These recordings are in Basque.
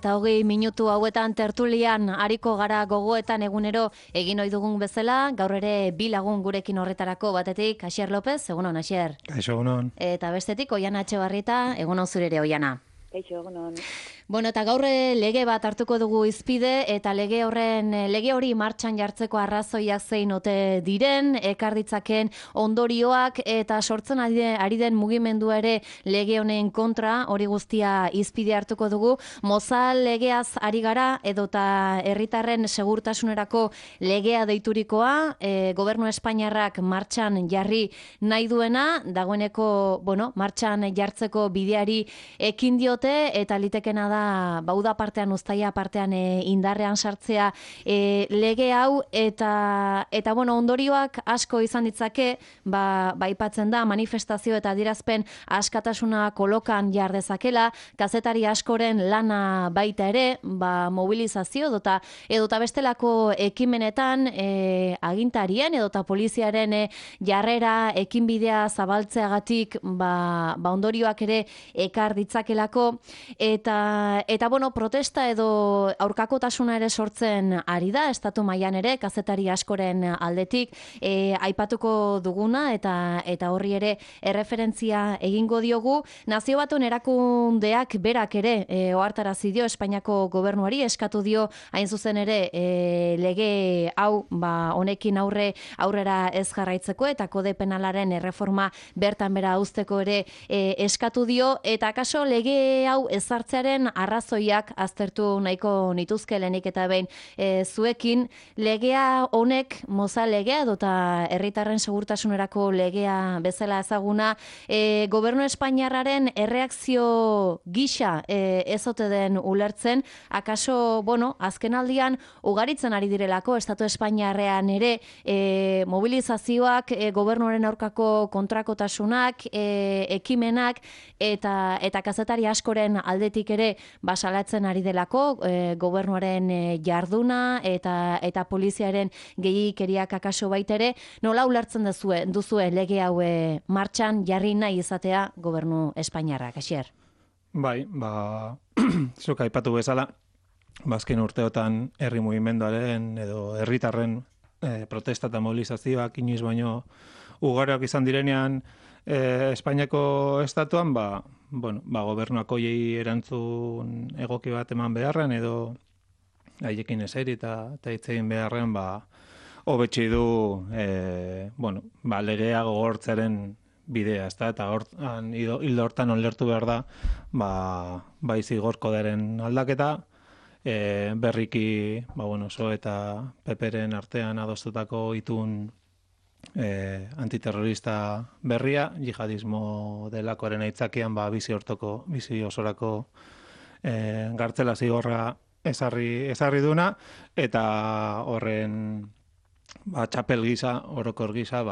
Eta 20 minutu hauetan tertulian ariko gara gogoetan egunero egin ohi dugun bezala, gaur ere bi lagun gurekin horretarako batetik, Asier López, egunon, Asier. Kaixo, egunon. Eta bestetik, Oiana Etxebarrieta, egunon zure ere, Oiana. Kaixo, egunon. Bueno, eta gaur lege bat hartuko dugu hizpide eta lege hori martxan jartzeko arrazoiak zein ote diren, ekar ditzaken ondorioak eta sortzen ari den mugimendua ere lege honen kontra, hori guztia hizpide hartuko dugu. Mozal legeaz ari gara edota herritarren segurtasunerako legea deiturikoa, gobernu Espainiarrak martxan jarri nahi duena, dagoeneko, martxan jartzeko bideari ekin diote eta litekena da bauda partean, uztaia partean indarrean sartzea lege hau eta ondorioak asko izan ditzake, aipatzen da manifestazio eta adierazpen askatasuna kolokan jar dezakela, kazetari askoren lana baita ere, mobilizazio edota bestelako ekimenetan agintarien edota poliziaren jarrera ekinbidea zabaltzeagatik ondorioak ere ekar ditzakelako eta protesta edo aurkakotasuna ere sortzen ari da, estatu mailan ere, kazetari askoren aldetik, aipatuko duguna eta horri ere erreferentzia egingo diogu. Nazio Batuen erakundeak berak ere ohartarazi dio Espainiako gobernuari, eskatu dio hain zuzen ere lege hau honekin aurrera ez jarraitzeko eta kode penalaren erreforma bertan bera uzteko ere eskatu dio, eta kaso lege hau ezartzearen arrazoiak aztertu nahiko nituzke lehenik eta behin zuekin. Legea honek, Mozal legea edota herritarren segurtasunerako legea bezala ezaguna, gobernu Espainiarraren erreakzio gisa ez ote den ulertzen, akaso, azken aldian ugaritzen ari direlako estatu Espainiarrean ere mobilizazioak, gobernuaren aurkako kontrakotasunak, ekimenak eta kazetari askoren aldetik ere basalatzen ari delako gobernuaren jarduna eta poliziaren gehiikeriak akaso baitere. Nola ulertzen duzue lege hau martxan jarri nahi izatea gobernu Espainiarrak, Asier? Bai, zuk aipatu bezala, azken urteotan herri mugimenduaren edo herritarren protesta eta mobilizazioak inoiz baino ugariak izan direnean Espainiako estatuan, gobernuak hoiei erantzun egoki bat eman beharren edo haiekin eseri eta hitz egin beharren, hobetsi du legea gogortzearen bidea, eta hildo hortan olertu behar da bai zigor koderen aldaketa, berriki PSOE eta PPren artean adostutako itun antiterrorista berria, jihadismo delakoaren aitzakian bizi osorako gartzela zigorra ezarri duna, eta horren txapel gisa, orokor gisa,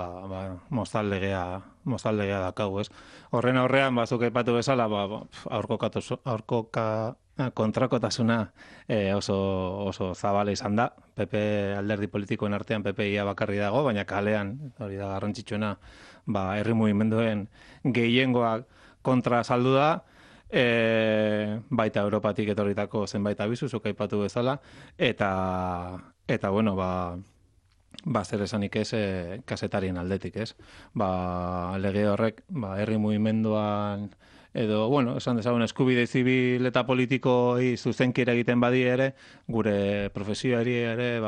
Mozal legea dakau, ez? Horren aurrean, zuk aipatu bezala, kontrakotasuna oso zabala izan da. PP alderdi politikoen artean PPia bakarri dago, baina kalean, hori da garrantzitsuena, herri mugimenduen gehiengoak kontra saldu da, baita Europatik etorritako zenbait abisu, zuk aipatu bezala, eta zer esanik ez kazetarien aldetik, ez? Lege horrek, herri mugimenduan edo, esan dezagun eskubide zibil eta politikoei zuzenki eragiten badi ere, gure profesioari ere,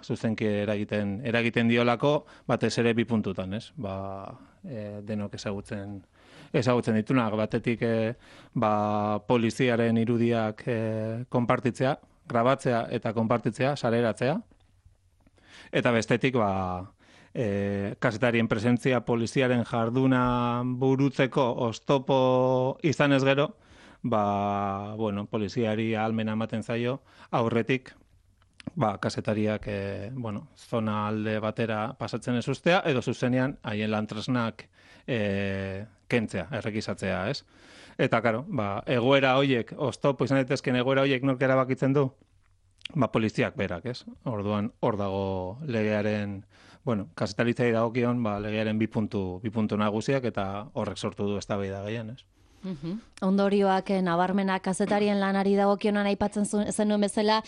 zuzenki eragiten diolako, batez ere bi puntutan, ez? Denok ezagutzen ditunak, batetik poliziaren irudiak konpartitzea, grabatzea eta konpartitzea, sareratzea, eta bestetik, kazetarien presentzia poliziaren jarduna burutzeko oztopo izan ez gero, poliziari ahalmena ematen zaio, aurretik, kazetariak, zona alde batera pasatzen ez ustea, edo zuzenean haien lantresnak kentzea, errekisatzea, ez? Eta, karo, egoera hoiek, oztopo izan daitezken egoera hoiek nork erabakitzen du? Poliziak berak, ez? Orduan, hor dago legearen, kazetaritzai dagokion, legearen bi puntu nagusiak, eta horrek sortu du eztabaida gehien, ez? Ondorioak nabarmenak kazetarien lanari dagokionan aipatzen zenuen bezala,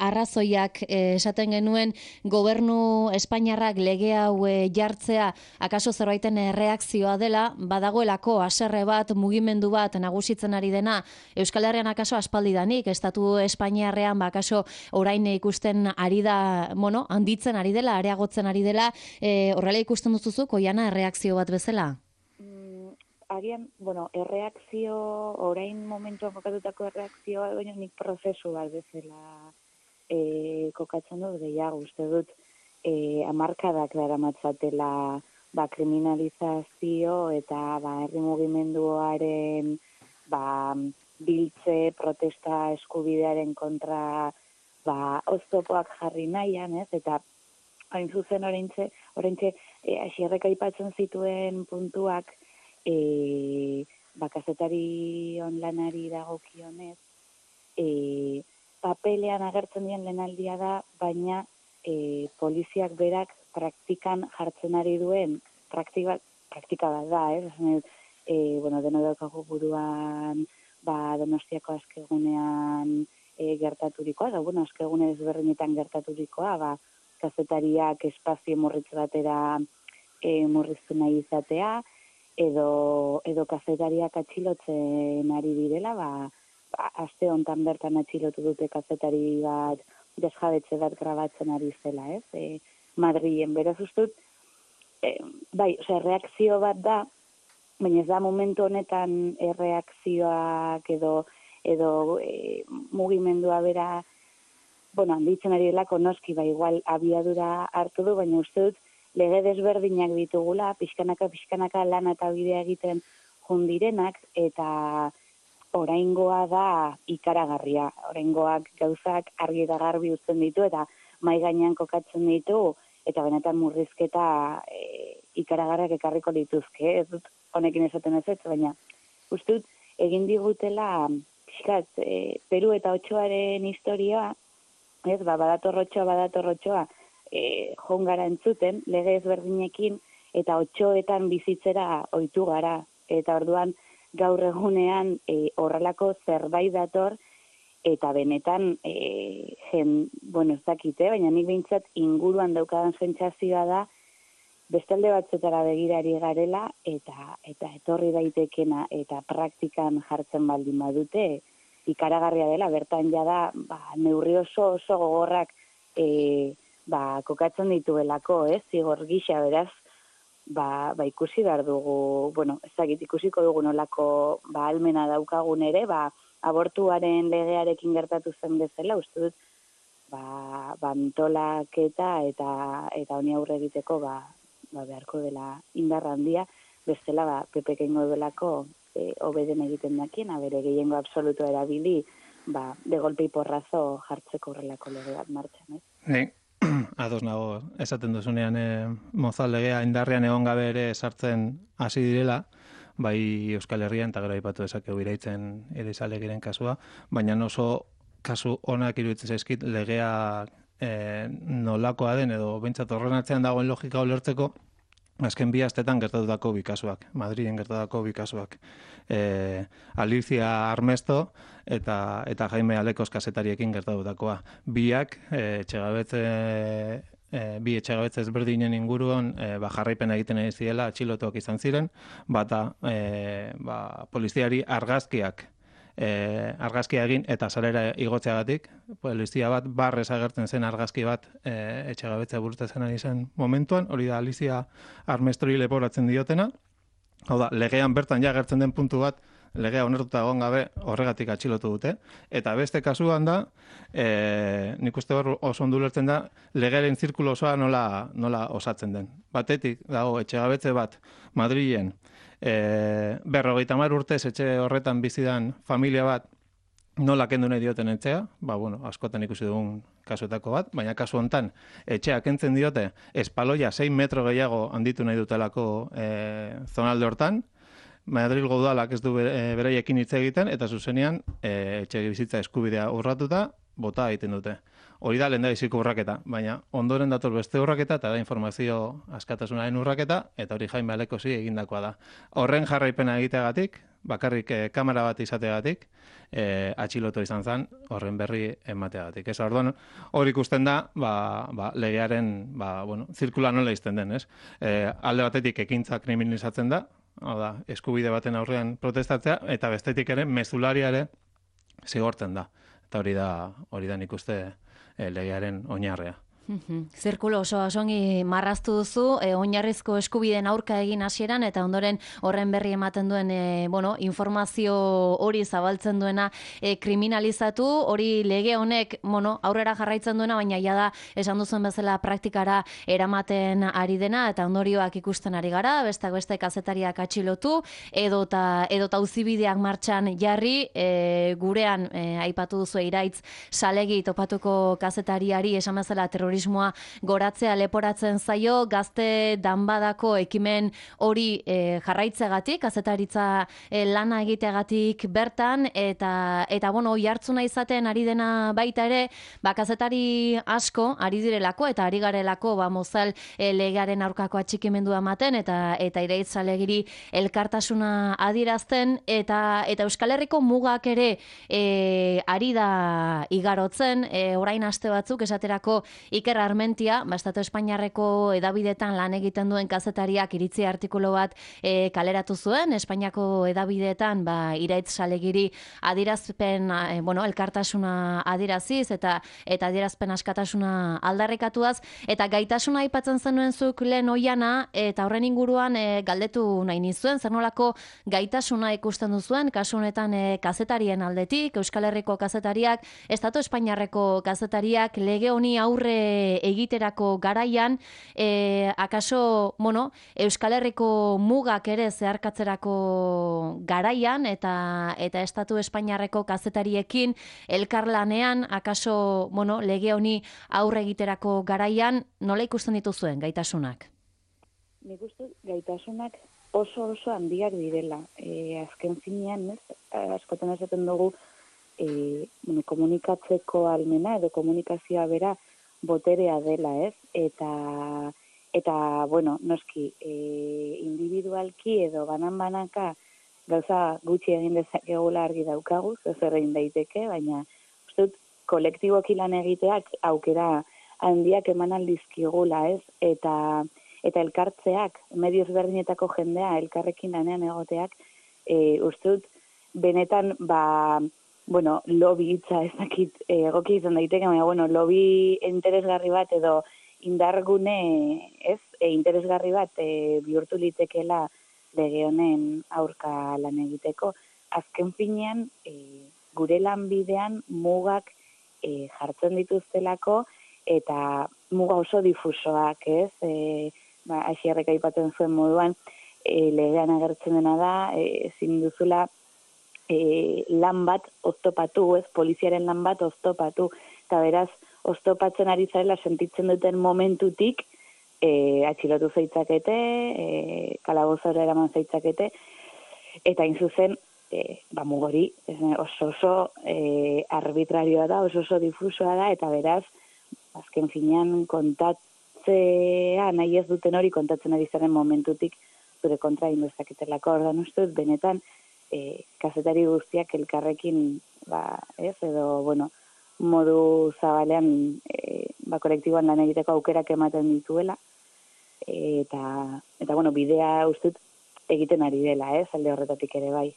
arrazoiak esaten genuen gobernu Espainiarrak lege hau jartzea akaso zerbaiten reakzioa dela, badagoelako haserre bat, mugimendu bat nagusitzen ari dena Euskal Herrian akaso aspaldidanik, estatu Espainiarrean akaso orain ikusten ari da, handitzen ari dela, areagotzen ari dela, horrela ikusten duzuzuk, Oiana, reakzio bat bezala? Agian, erreakzio, orain momentuan kokatutako erreakzioa, baina nik prozesu bat bezala kokatzen dut gehiago, uste dut, hamarkadak daramatzatela kriminalizazio eta herri mugimenduaren biltze, protesta eskubidearen kontra oztopoak jarri nahian, ez? Eta hain zuzen oraintxe Asierrek aipatzen zituen puntuak kazetari lanari dagokionez, papelean agertzen dien lehenaldia da, baina poliziak berak praktikan jartzen ari duen praktika bat da, deno daukagu buruan Donostiako askegunean gertaturikoa, askegune ezberdinetan gertaturikoa, kazetariak espazio murritz batera murriztu nahi izatea, edo kazetariak atxilotzen ari direla, aste hontan bertan atxilotu dute kazetari bat, desjabetze bat grabatzen ari zela, ez? Madrilen, beraz ustut, reakzio bat da, baina ez da momentu honetan erreakzioak edo mugimendua bera, handitzen ari delako noski, igual abiadura hartu du, baina uste dut, lege desberdinak ditugula, pixkanaka lana eta bidea egiten jundirenak, eta oraingoa da ikaragarria. Oraingoak gauzak argi eta garbi uzten ditu, eta mai gainean kokatzen ditu, eta benetan murrizketa ikaragarriak ekarriko dituzke. Ez dut honekin esaten ez, baina uste dut egin digutela Peru eta Otsoaren historia, ez, badatorrotxoa, joan gara entzuten, lege ezberdinekin, eta Otsoetan bizitzera ohitu gara. Eta orduan, gaur egunean horrelako zerbait dator, eta benetan, ez dakite, baina nik behintzat inguruan daukadan sentsazioa da, bestalde batzetara begirari garela, eta etorri daitekena, eta praktikan jartzen baldin badute, ikaragarria dela, bertan jada, neurri oso gogorrak, kokatzen dituelako, zigor gisa, beraz, ikusi behar dugu, ikusiko dugu nolako ahalmena daukagun ere, abortuaren legearekin gertatu zen bezala, uste dut, antolaketa eta honi aurre egiteko, beharko dela indarra handia, bestela, PPK ingo duelako, obeden egiten dakien, bere gehiengo absoluto erabili, de golpe y porrazo jartzeko horrelako lege bat martxan, Ados nago, esaten duzunean Mozal legea indarrean egon gabe ere sartzen hasi direla, bai Euskal Herrian, eta gero aipatu dezakegu iraitzen Elizalegiren kasua, baina oso kasu onak iruditzen zaizkit legea nolakoa den, edo behintzat horren atzean dagoen logika ulertzeko, azken bi astetan gertatutako bi kasuak, Madriden gertatutako bi kasuak. Alicia Armesto eta Jaime Alekos kazetariekin gertatutakoa. Biak bi etxegabetze ezberdinen inguruan jarraipen egiten ari ziela atxilotuak izan ziren, bata poliziari argazkia egin eta sarera igotzeagatik, polizia bat barrez agertzen zen argazki bat etxegabetzea burutatzen ari zen momentuan, hori da Alicia Armestori leporatzen diotena. Hau da, legean bertan ja agertzen den puntu bat, legea onartuta egon gabe horregatik atxilotu dute. Eta beste kasuan da, nik uste hor oso ondo ulertzen da, legearen zirkulo osoa nola osatzen den. Batetik dago etxegabetze bat Madrilen, 50 urtez etxe horretan bizidan familia bat nola kendu nahi dioten etxea, askotan ikusi dugun kasuetako bat, baina kasu hontan etxea kentzen diote espaloia 6 metro gehiago handitu nahi dutelako zonalde hortan, Madrilgo udalak ez du beraiekin hitz egiten, eta zuzenean etxe bizitza eskubidea urratuta, bota egiten dute. Hori da lehendabiziko urraketa, baina ondoren dator beste urraketa eta da informazio askatasunaren urraketa, eta hori Jaime Alekosi egindakoa da. Horren jarraipena egiteagatik, bakarrik kamera bat izateagatik, atxilotu izan zen horren berri emateagatik. Ez orduan, hori ikusten da, legearen, zirkula nola izten den, ez? Alde batetik ekintza kriminalizatzen da, hau da, eskubide baten aurrean protestatzea, eta bestetik ere, mezularia ere zigortzen da. Eta hori da nik uste legearen oinarrea. Zirkulo oso osongi marraztu duzu, oinarrizko eskubideen aurka egin hasieran eta ondoren horren berri ematen duen informazio hori zabaltzen duena kriminalizatu, hori lege honek aurrera jarraitzen duena, baina jada esan duzuen bezala praktikara eramaten ari dena eta ondorioak ikusten ari gara, bestak beste kazetariak atxilotu, edota auzibideak martxan jarri, gurean aipatu duzu Iraitz Salegi topatuko kazetariari esan bezala terrorismoa goratzea leporatzen zaio, Gazte Danbadako ekimen hori jarraitzegatik, kazetaritza lana egiteagatik bertan, eta oihartzuna izaten ari dena baita ere, kazetari asko ari direlako, eta ari garelako Mozal legearen aurkako atxikimendua ematen, eta Iraitz Salegiri elkartasuna adierazten, eta Euskal Herriko mugak ere ari da igarotzen, orain aste batzuk esaterako Iker Armentia, Estatu Espainiarreko edabidetan lan egiten duen kazetariak iritzi artikulu bat kaleratu zuen, Espainiako edabidetan Iraitz Salegiri adierazpen, elkartasuna adieraziz eta adierazpen askatasuna aldarrikatuaz, eta gaitasuna aipatzen zenuen zuk lehen oiana, eta horren inguruan galdetu nahi nizuen, zer nolako gaitasuna ikusten duzuen, kasu honetan kazetarien aldetik, Euskal Herriko kazetariak, Estatu Espainiarreko kazetariak lege honi aurre egiterako garaian, akaso, Euskal Herriko mugak ere zeharkatzerako garaian, eta Estatu Espainiarreko kazetariekin elkarlanean, akaso, lege honi aurre egiterako garaian, nola ikusten dituzuen gaitasunak? Nik uste gaitasunak oso handiak direla. Azken finean, askotan esaten dugu, komunikatzeko almena edo komunikazioa bera boterea dela, ez? Eta noski, individualki edo banan-banaka gauza gutxi egin dezakegula argi daukagu, zer egin daiteke, baina uste dut kolektiboki lan egiteak aukera handiak eman aldizkigula, ez? Eta elkartzeak, medio ezberdinetako jendea elkarrekin lanean egoteak, uste dut benetan, lobby hitza ezakit egoki izan daiteke, baina, lobby interesgarri bat edo indargune, interesgarri bat bihurtu litekela lege honen aurka lan egiteko. Azken finean, gure lanbidean mugak jartzen dituztelako, eta muga oso difusoak, ez? Asierrek aipatzen zuen moduan, legean agertzen dena da, ezin duzula lan bat oztopatu, ez, poliziaren lan bat oztopatu, eta beraz, oztopatzen ari zarela sentitzen duten momentutik, atxilotu zeitzakete, kalabozora eraman zeitzakete, eta zuzen, mugori, oso arbitrarioa da, oso difusoa da, eta beraz, azken finean kontatzea nahi ez duten hori kontatzen ari zaren momentutik zure kontra indezaketelako. Ordan uste dut, benetan, kazetari guztiak elkarrekin, modu zabalean, kolektiboan lan egiteko aukerak ematen dituela, eta bidea uste dut egiten ari dela, alde horretatik ere bai.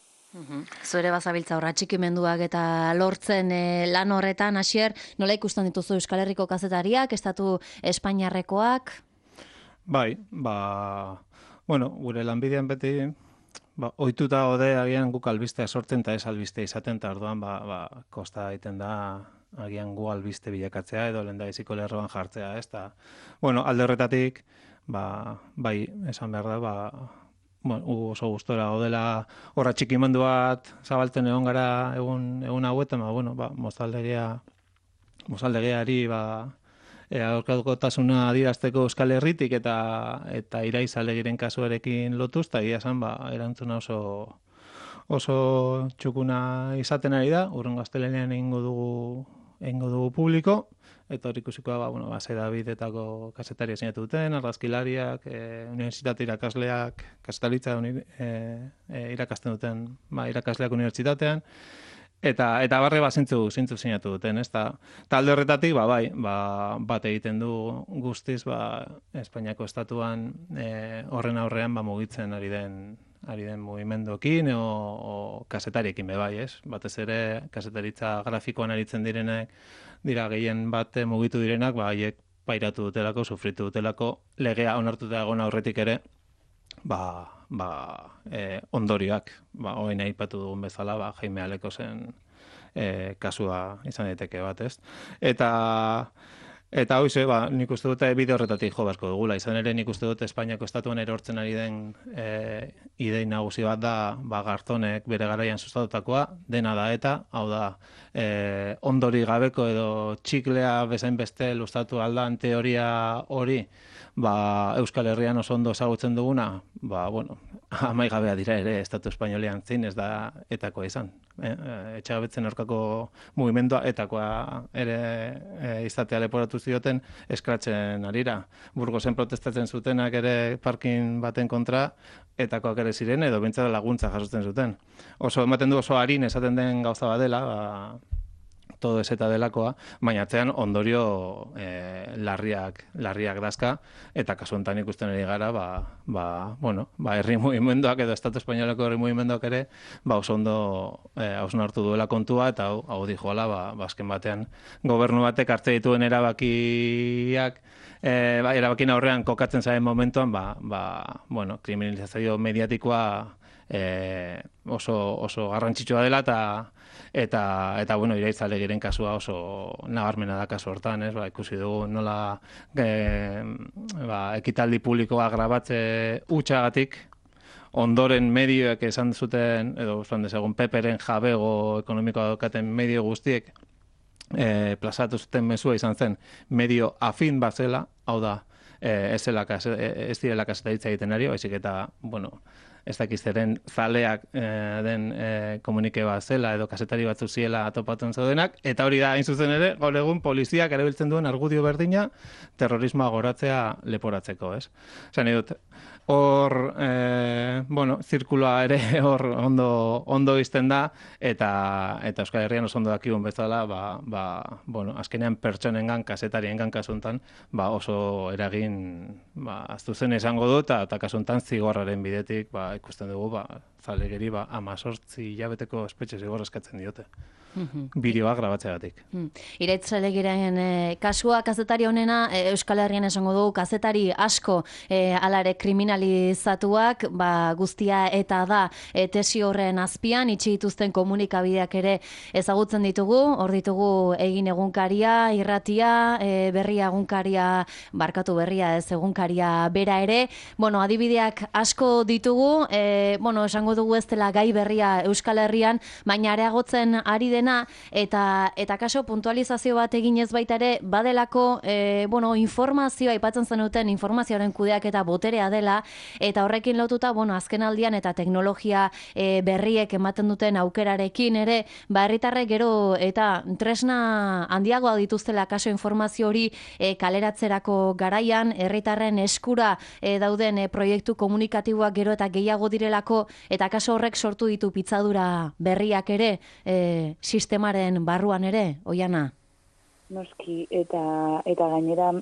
Zure bazabiltza horra txikimenduak eta lortzen lan horretan, Asier, nola ikusten dituzu Euskal Herriko kazetariak, Estatu Espainiarrekoak? Bai, gure lanbidean beti, ohituta gaude agian guk albistea sortzen eta ez albistea izaten, eta orduan kosta egiten da agian gu albiste bilakatzea edo lehendabiziko lerroan jartzea, ez da. Alde horretatik, bai, esan behar da, oso gustora gaudela horra txikimendu bat zabaltzen egon gara egun hauetan, mozaldegiari aurkakotasuna adierazteko Euskal Herritik eta Iraitz Salegiren kasuarekin lotuz, eta egia esan erantzuna oso txukuna izaten ari da. Hurrengo astelehenean egingo dugu egingo dugu publiko, eta hor ikusikoa, Sedabidetako kazetariak sinatu duten, argazkilariak, unibertsitate irakasleak, kazetaritza irakasten duten, irakasleak unibertsitatean, eta barre zintzu sinatu duten, ez da. Talde horretatik, bat egiten du guztiz, Espainiako estatuan horren aurrean mugitzen ari den mugimenduekin o kazetariekin bai, ez? Batez ere kazetaritza grafikoan aritzen direnek dira gehien bat mugitu direnak, haiek pairatu dutelako, sufritu dutelako, legea onartuta egon aurretik ere, ondorioak, orain aipatu dugun bezala, Jaime Alekosen kasua izan daiteke bat, ez? Eta hoize, nik uste dute bide horretatik jo beharko dugula. Izan ere nik uste dut Espainiako estatuan erortzen ari den idei nagusi bat da, Garzonek bere garaian sustatutakoa, dena da eta, hau da, ondori gabeko edo txiklea bezain beste luztatu aldan teoria hori, Euskal Herrian oso ondo ezagutzen duguna, amaigabea dira ere, Estatu Espainolean zein ez da etakoa izan. Etxagabetzen aurkako mugimendua etakoa ere izatea leporatu zioten eskratzen arira. Burgosen protestatzen zutenak ere parkin baten kontra, etakoak ere ziren edo bintzara laguntza jasotzen zuten. Oso ematen du oso harin esaten den gauza badela, todo ez eta delakoa, baina atzean ondorio larriak dazka, eta kasu honetan ikusten ari gara, herri mugimenduak edo Estatu Espainoleko herri mugimenduak ere, oso ondo hausnartu duela kontua, eta hau dijoala, azken batean gobernu batek hartze dituen erabakiak, erabakien aurrean kokatzen zaren momentuan, kriminalizazio mediatikoa oso garrantzitsua dela, eta Iraitza Legiren kasua oso nabarmena da kasu hortan, ikusi dugu nola ekitaldi publikoa grabatze hutsagatik, ondoren medioek esan zuten, edo esan dezagun Peperen jabego ekonomikoa daukaten medio guztiek plazatu zuten mezua izan zen medio afin bat zela, hau da, ez direla kazetaritza egiten ari, baizik eta, ez dakizteren zaleak den komunike bat zela edo kazetari batzu ziela atopatzen zaudenak, eta hori da, hain zuzen ere, gaur egun poliziak erabiltzen duen argudio berdina terrorismoa goratzea leporatzeko, ez? Zan dut, hor, zirkuloa ere hor ondo izten da, eta Euskal Herrian oso ondo dakigun bezala, azkenean pertsonengan, kazetariengan kasuntan, oso eragin, aztuzen esango du, eta kasuntan zigorraren bidetik, ikusten dugu, zalegeri 18 hilabeteko espetxe zigor eskatzen diote. Bideoa grabatzeagatik. Iraitza Legiren kasua kazetari honena, Euskal Herrian esango dugu, kazetari asko alare kriminalizatuak, guztia eta da tesi horren azpian, itxi dituzten komunikabideak ere ezagutzen ditugu, hor ditugu Egin egunkaria, Irratia, Berria egunkaria, barkatu Berria ez egunkaria bera ere, adibideak asko ditugu, esango dugu ez dela gai berria Euskal Herrian, baina areagotzen ari dena, eta kaso puntualizazio bat eginez baita ere, badelako, informazioa, aipatzen zenuten informazioaren kudeak eta boterea dela, eta horrekin lotuta, azken aldian eta teknologia berriek ematen duten aukerarekin ere, herritarrek gero eta tresna handiagoa dituztela kaso informazio hori kaleratzerako garaian, herritarren eskura dauden proiektu komunikatiboak gero eta gehiago direlako, eta kaso horrek sortu ditu pitzadura berriak ere, sistemaren barruan ere, Oiana? Noski, eta gainera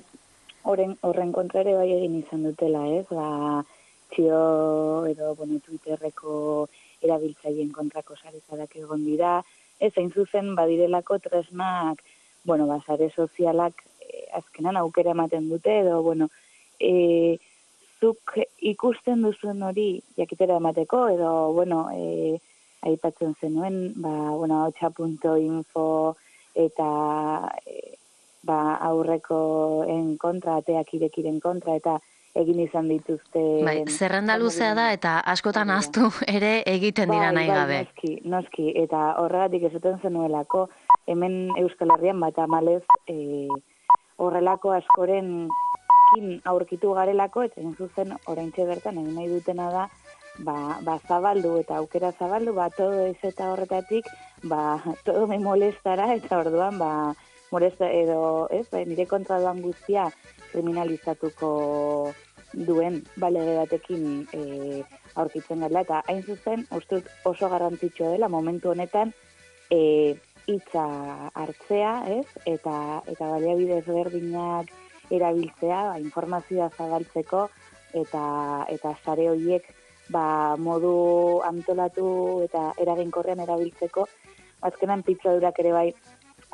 horren kontra ere bai egin izan dutela, ez? Txio edo Twitterreko erabiltzaileen kontrako sarezadak egon dira, ez hain zuzen badirelako tresnak, sare sozialak azkenan aukera ematen dute, edo, zuk ikusten duzuen hori jakitera emateko, edo, aipatzen zenuen, hotxa.info eta aurrekoen kontra, ateak irekiren kontra, eta egin izan dituzte... Zerrenda luzea da, eta askotan ahaztu ere egiten dira nahi gabe. Noski, eta horregatik esaten zenuelako, hemen Euskal Herrian amalez horrelako askoren aurkitu garelako, eta zuzen oraintxe bertan egin nahi dutena da, zabaldu eta aukera zabaldu, todo ez eta horretatik, todo me molestara, eta orduan, molesta edo, ez, nire kontra doan guztia kriminalizatuko duen balege batekin aurkitzen gara, eta hain zuzen, uste oso garrantzitsua dela momentu honetan hitza hartzea, ez? Eta baliabide ezberdinak erabiltzea, informazioa zabaltzeko eta sare horiek modu antolatu eta eraginkorrean erabiltzeko, azkenan pitzadurak ere bai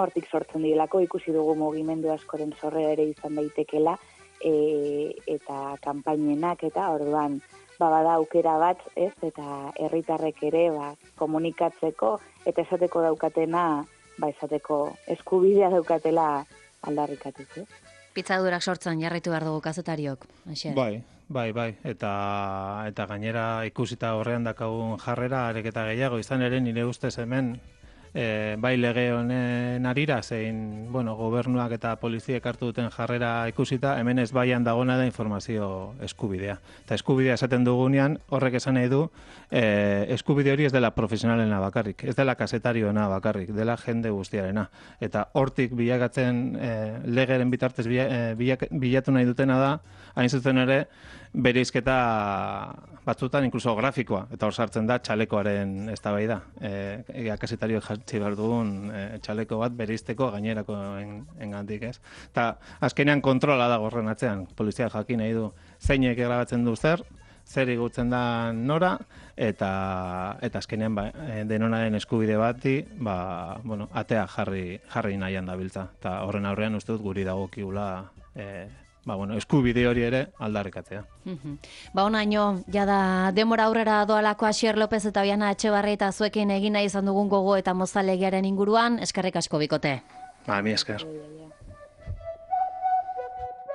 hortik sortzen direlako, ikusi dugu mugimendu askoren sorrera ere izan daitekela, eta kanpainenak eta orduan bada aukera bat, ez, eta herritarrek ere komunikatzeko eta esateko daukatena, esateko eskubidea daukatela aldarrikatuz, ez? Pitzadurak sortzen jarraitu behar dugu kazetariok. Bai. Eta gainera ikusita horrean dakagun jarrera areketa gehiago, izan ere nire ustez hemen bai lege honen arira, zein, gobernuak eta poliziek hartu duten jarrera ikusita, hemen ez baian dagona da informazio eskubidea. Eta eskubidea esaten dugunean, horrek esan nahi du, eskubide hori ez dela profesionalena bakarrik, ez dela kasetarioena bakarrik, dela jende guztiarena. Eta hortik bilakatzen legeren bitartez bilatu nahi dutena da, hain zuzen ere, bereizketa batzutan inkluso grafikoa, eta hor sartzen da txalekoaren eztabaida. Kasetarioek jartzi behar dugun txaleko bat bereizteko gainerakoen gandik, ez? Eta azkenean kontrola da horren atzean, polizia jakin nahi du zeinek grabatzen du zer igutzen da nora, eta azkenean denonaren eskubide bati, atea jarri nahian dabiltza. Eta horren aurrean uste dut guri dagokigula eskubide hori ere aldarrikatzea. Honaino, jada demora aurrera doalako Asier López eta Oiana Etxebarri eta zuekin egin nahi izan dugun gogo eta mozalegiaren inguruan, eskerrik asko bikote. Mi esker.